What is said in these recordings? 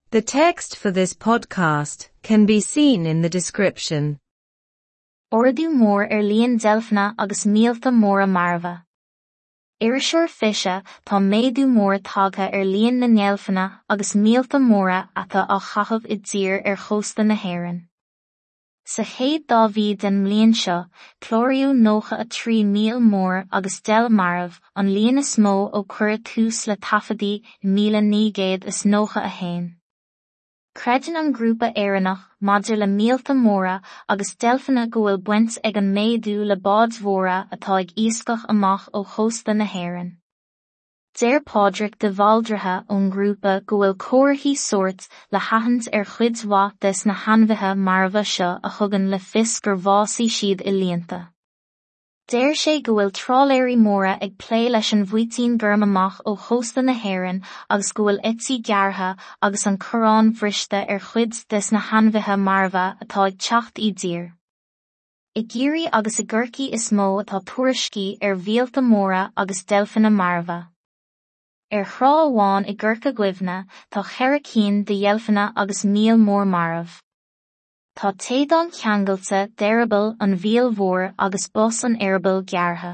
The text for this podcast can be seen in the description. Ardú mór ar líon deilfeanna agus míolta móra marbha. Iriseoir 20 Tá méadú mór tagtha ar líon na ndeilfeanna agus míolta móra atá á chaitheamh i dtír ar chósta na hÉireann. Sa chéad dá mhí den mbliain seo, cláraíodh 93 míol mór agus deilf marbh, an líon is mó ó cuireadh tús le taifeadtaí i 1991. Creideann an Grúpa Éireannach maidir le Míolta Móra agus Deilfeanna go bhfuil baint ag an méadú le báid mhóra atá ag iascach amach ó chósta na hÉireann. Deir Pádraig de Bhaldraithe ón ngrúpa go bhfuil comharthaí sóirt le haithint ar chuid mhaith des na hainmhithe marbha seo a thugann le fios gur bhásaigh siad i líonta. Deir sé go bhfuil trálaeirí móra ag plé leis an bhfaoitín gorm amach ó chósta na hÉireann agus go bhfuil eití gearrtha agus an chorráin bhriste ar chuid des na hainmhithe marbha atá ag teacht i dtír. I gCiarraí agus i gCorcaigh is mó atá tuairiscí ar mhíolta móra agus deilfeanna marbha. Ar thrá amháin i gCorca Dhuibhne tá cheithre cinn de dheilfeanna agus míol mór marbh. Tá téadán ceangailte d'eireaball an mhíl mhóir agus bos an eireabaill gearrtha.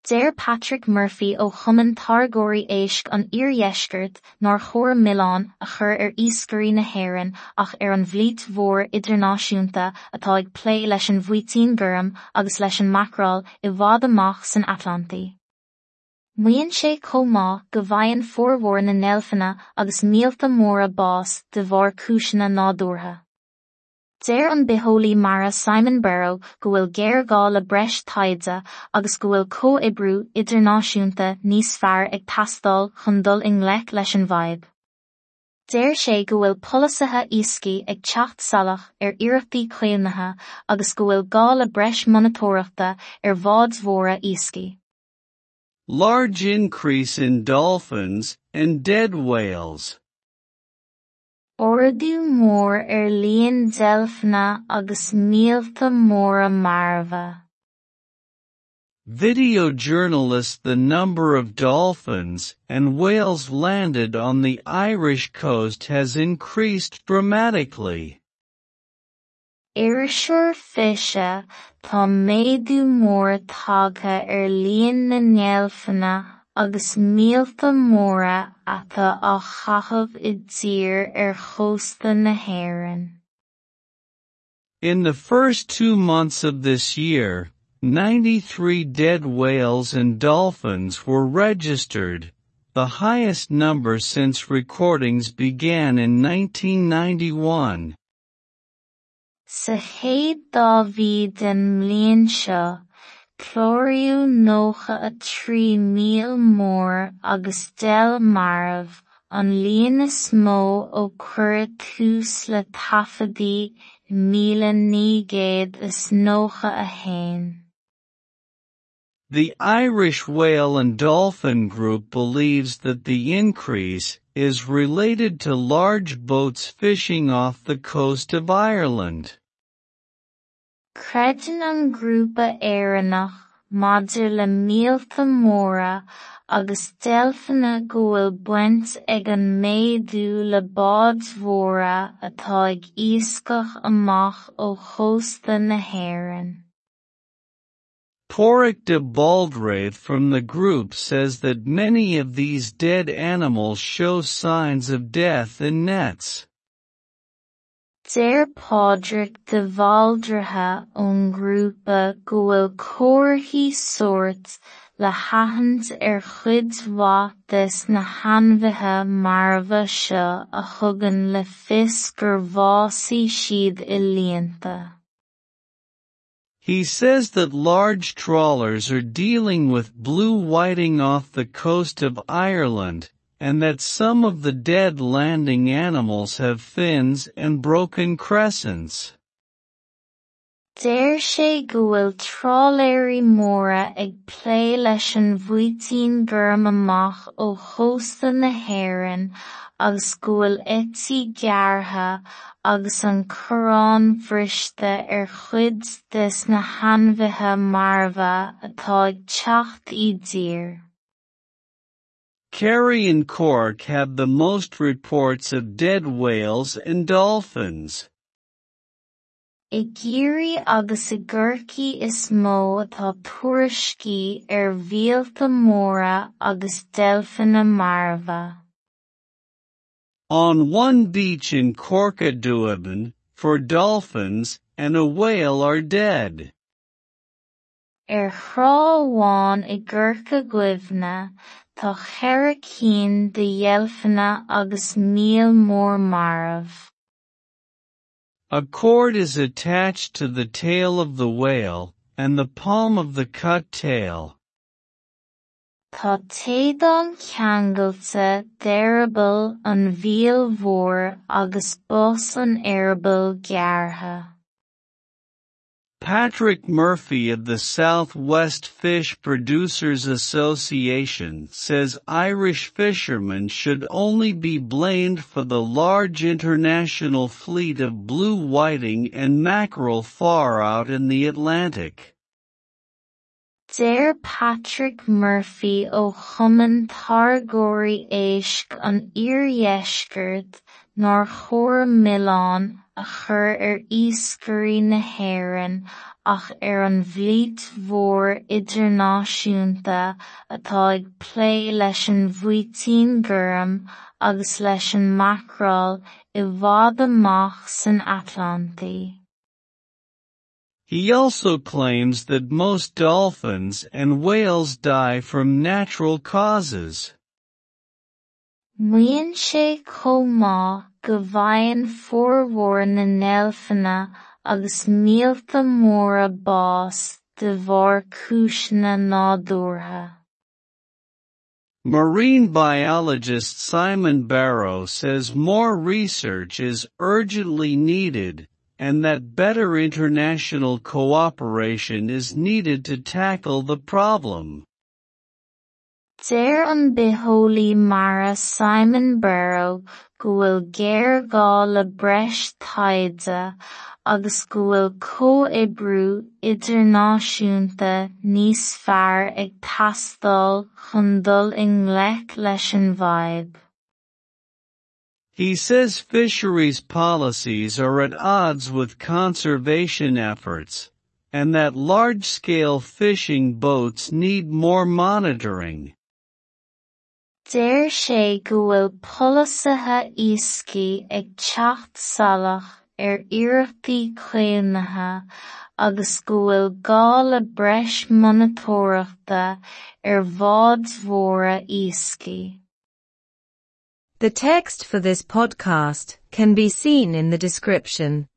Deir Patrick Murphy ó Chumann Táirgeoirí Éisc an Iardheiscirt nár chóir milleán a chur ar iascairí na hÉireann ach ar an bhflít mhór idirnáisiúnta atá ag plé leis an bhfaoitín gorm agus leis an macráil i bhfad amach san Atlantaigh. Maíonn sé chomh maith go bhfaigheann formhór na ndeilfeanna agus míolta móra bás de bharr cúiseanna nádúrtha. Deir an bitheolaí mara Simon Berrow go bhfuil géarghá le breis taighde agus go bhfuil comhoibriú idirnáisiúnta níos fearr ag teastáil chun dul i ngleic leis an bhfadhb. Deir sé go bhfuil polasaithe iascaigh ag teacht salach ar iarrachtaí caomhnaithe agus go bhfuil gá le breis monatóireachta ar bháid mhóra iascaigh. Large increase in dolphins and dead whales. Ardú mór ar líon deilfeanna agus míolta móra marbha. Video journalist The number of dolphins and whales landed on the Irish coast has increased dramatically. Iriseoir 20 Tá méadú mór tagtha ar líon na ndeilfeanna agus míolta móra atá á chaitheamh i dtír ar chósta na hÉireann. In the first two months of this year, 93 dead whales and dolphins were registered, the highest number since recordings began in 1991. Sa chéad dá mhí den mbliain seo, cláraíodh 93 míol mór agus deilf marbh, an líon is mó ó cuireadh tús le taifeadtaí i 1991. The Irish Whale and Dolphin Group believes that the increase is related to large boats fishing off the coast of Ireland. Creideann an Grúpa Éireannach maidir le Míolta Móra agus Deilfeanna go bhfuil baint ag an méadú le báid mhóra atá ag iascach amach ó chósta na hÉireann. Pádraig de Bhaldraithe from the group says that many of these dead animals show signs of death in nets. Deir Pádraig de Bhaldraithe ón ngrúpa go bhfuil comharthaí sóirt le haithint ar chuid mhaith des na hainmhithe marbha seo a thugann le fios gur bhásaigh siad i líonta. He says that large trawlers are dealing with blue whiting off the coast of Ireland, and that some of the dead landing animals have fins and broken crescents. Deir sé go bhfuil trálaeirí móra ag plé leis an bhfaoitín gorm amach ó chósta na hÉireann agus go bhfuil eití gearrtha agus an chorráin bhriste ar chuid des na hainmhithe marbha atá ag teacht i dtír. Kerry and Cork have the most reports of dead whales and dolphins. I gCiarraí agus i gCorcaigh is mó atá tuairiscí ar mhíolta móra agus deilfeanna marbha. On one beach in Corca Dhuibhne, 4 dolphins and a whale are dead. Ar thrá amháin i gCorca Dhuibhne, tá 4 cinn de dheilfeanna agus míol mór marbh. A cord is attached to the tail of the whale, and the palm of the cut tail. Tá téadán ceangailte d'eireaball an mhíl mhóir agus bos an eireabaill gearrtha. Patrick Murphy of the South West Fish Producers Association says Irish fishermen should only be blamed for the large international fleet of blue whiting and mackerel far out in the Atlantic. Deir Patrick Murphy ó Chumann Táirgeoirí Éisc an Iardheiscirt nár chóir milleán a chur ar iascairí na hÉireann ach ar an bhflít mhór idirnáisiúnta atá ag plé leis an bhfaoitín gorm agus leis an macráil i bhfad amach san Atlantaigh. He also claims that most dolphins and whales die from natural causes. Maíonn sé chomh maith go bhfaigheann formhór na ndeilfeanna agus míolta móra bás de bharr cúiseanna nádúrtha. Marine biologist Simon Barrow says more research is urgently needed, and that better international cooperation is needed to tackle the problem. Deir an bitheolaí mara Simon Barrow go bhfuil géarghá le breis taighde agus go bhfuil comhoibriú idirnáisiúnta níos fearr ag teastáil chun dul i ngleic leis an bhfadhb. He says fisheries policies are at odds with conservation efforts, and that large-scale fishing boats need more monitoring. Deir sé go bhfuil polasaithe iascaigh ag teacht salach ar iarrachtaí caomhnaithe agus go bhfuil gá le breis monatóireachta ar bháid mhóra iascaigh. The text for this podcast can be seen in the description.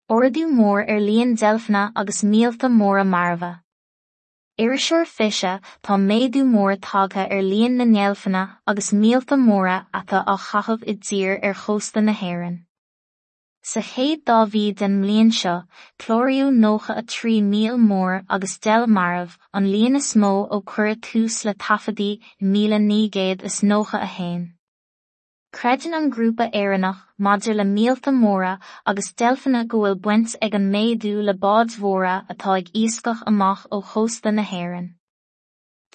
Ardú mór ar líon deilfeanna agus míolta móra marbha. Iriseoir Fiche, tá méadú mór tagtha ar líon na ndeilfeanna agus míolta móra atá á chaitheamh i dtír ar chósta na hÉireann. Sa chéad dá mhí den mbliain seo, cláraíodh 93 míol mór agus deilf marbh, an líon is mó ó cuireadh tús le taifeadtaí i 1991. Creideann an grúpa Éireannach maidir le míolta móra agus deilfeanna go bhfuil baint ag an méadú le báid mhóra atá ag iascach amach ó chósta na hÉireann.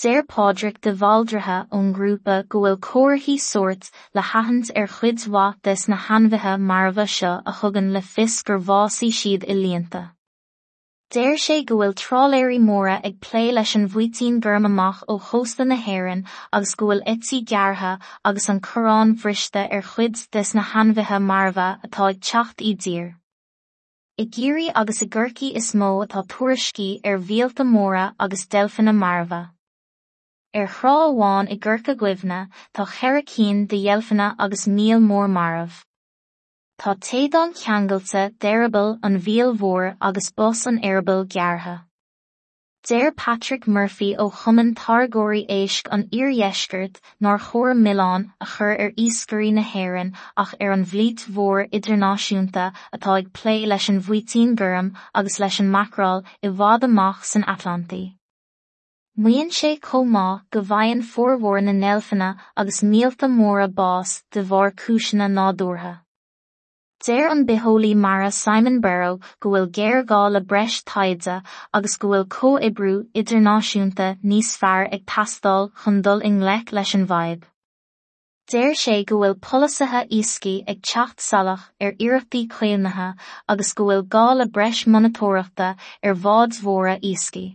Deir Pádraig de Bhaldraithe ón ngrúpa go bhfuil comharthaí sóirt le haithint ar chuid mhaith des na hainmhithe marbha seo a thugann le fios gur bhásaigh siad i líonta. Deir sé go bhfuil trálaeirí móra ag plé leis an bhfaoitín gorm amach ó chósta na hÉireann agus go bhfuil eití gearrtha agus an corrán bhriste ar chuid des na hainmhithe marbha atá ag teacht i dtír. I gCiarraí agus i gCorcaigh is mó atá tuairiscí ar mhíolta móra agus deilfeanna marbha. Ar thrá amháin i gCorca Dhuibhne, tá 4 cinn de dheilfeanna agus míol mór marbh. Tá téadán ceangailte d'eireaball an mhíl mhóir agus bos an eireabaill gearrtha. Deir Patrick Murphy ó Chumann Táirgeoirí Éisc an Iardheiscirt nár chóir milleán a chur ar iascairí na hÉireann ach ar an bhflít mhór idirnáisiúnta atá ag plé leis an bhfaoitín gorm agus leis an macráil i bhfad amach san Atlantaigh. Maíonn sé chomh maith go bhfaigheann formhór na ndeilfeanna agus míolta móra bás de bharr cúiseanna nádúrtha. Deir an bitheolaí mara Simon Berrow go bhfuil géarghá le breis taighde agus go bhfuil comhoibriú idirnáisiúnta níos fearr ag teastáil chun dul i ngleic leis an bhfadhb. Deir sé go bhfuil polasaithe iascaigh ag teacht salach ar iarrachtaí caomhnaithe agus go bhfuil gá le breis monatóireachta ar bháid mhóra iascaigh.